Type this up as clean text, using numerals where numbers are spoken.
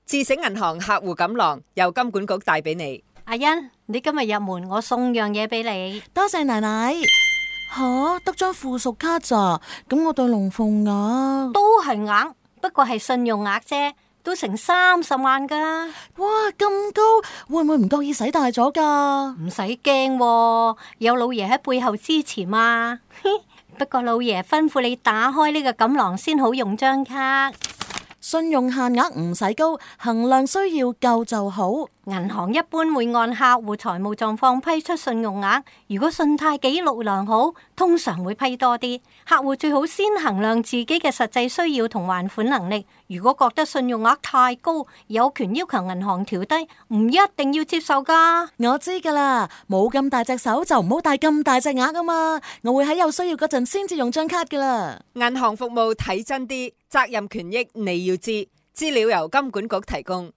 智醒銀行客戶錦囊由金管局帶俾你。阿欣，你今日入門，我送樣嘢俾你。多謝奶奶。吓，得張附屬卡咋？咁我對龍鳳額都係額，不過係信用額啫，都成30萬噶。哇，咁高，會唔會唔覺意使大咗噶？唔使驚，有老爺喺背後支持嘛。不過老爺吩咐你打開呢個錦囊先好用張卡。信用限額唔使高，衡量需要夠就好。銀行一般會按客戶財務狀況批出信用額，如果信貸記錄良好，通常會批多啲。客戶最好先衡量自己嘅實際需要同還款能力。如果覺得信用額太高，有權要求銀行調低，唔一定要接受噶。我知噶啦，冇咁大隻手就唔好帶咁大隻額啊嘛。我會喺有需要嗰陣先至用張卡噶啦。銀行服務睇真啲，責任權益你要知，資料由金管局提供。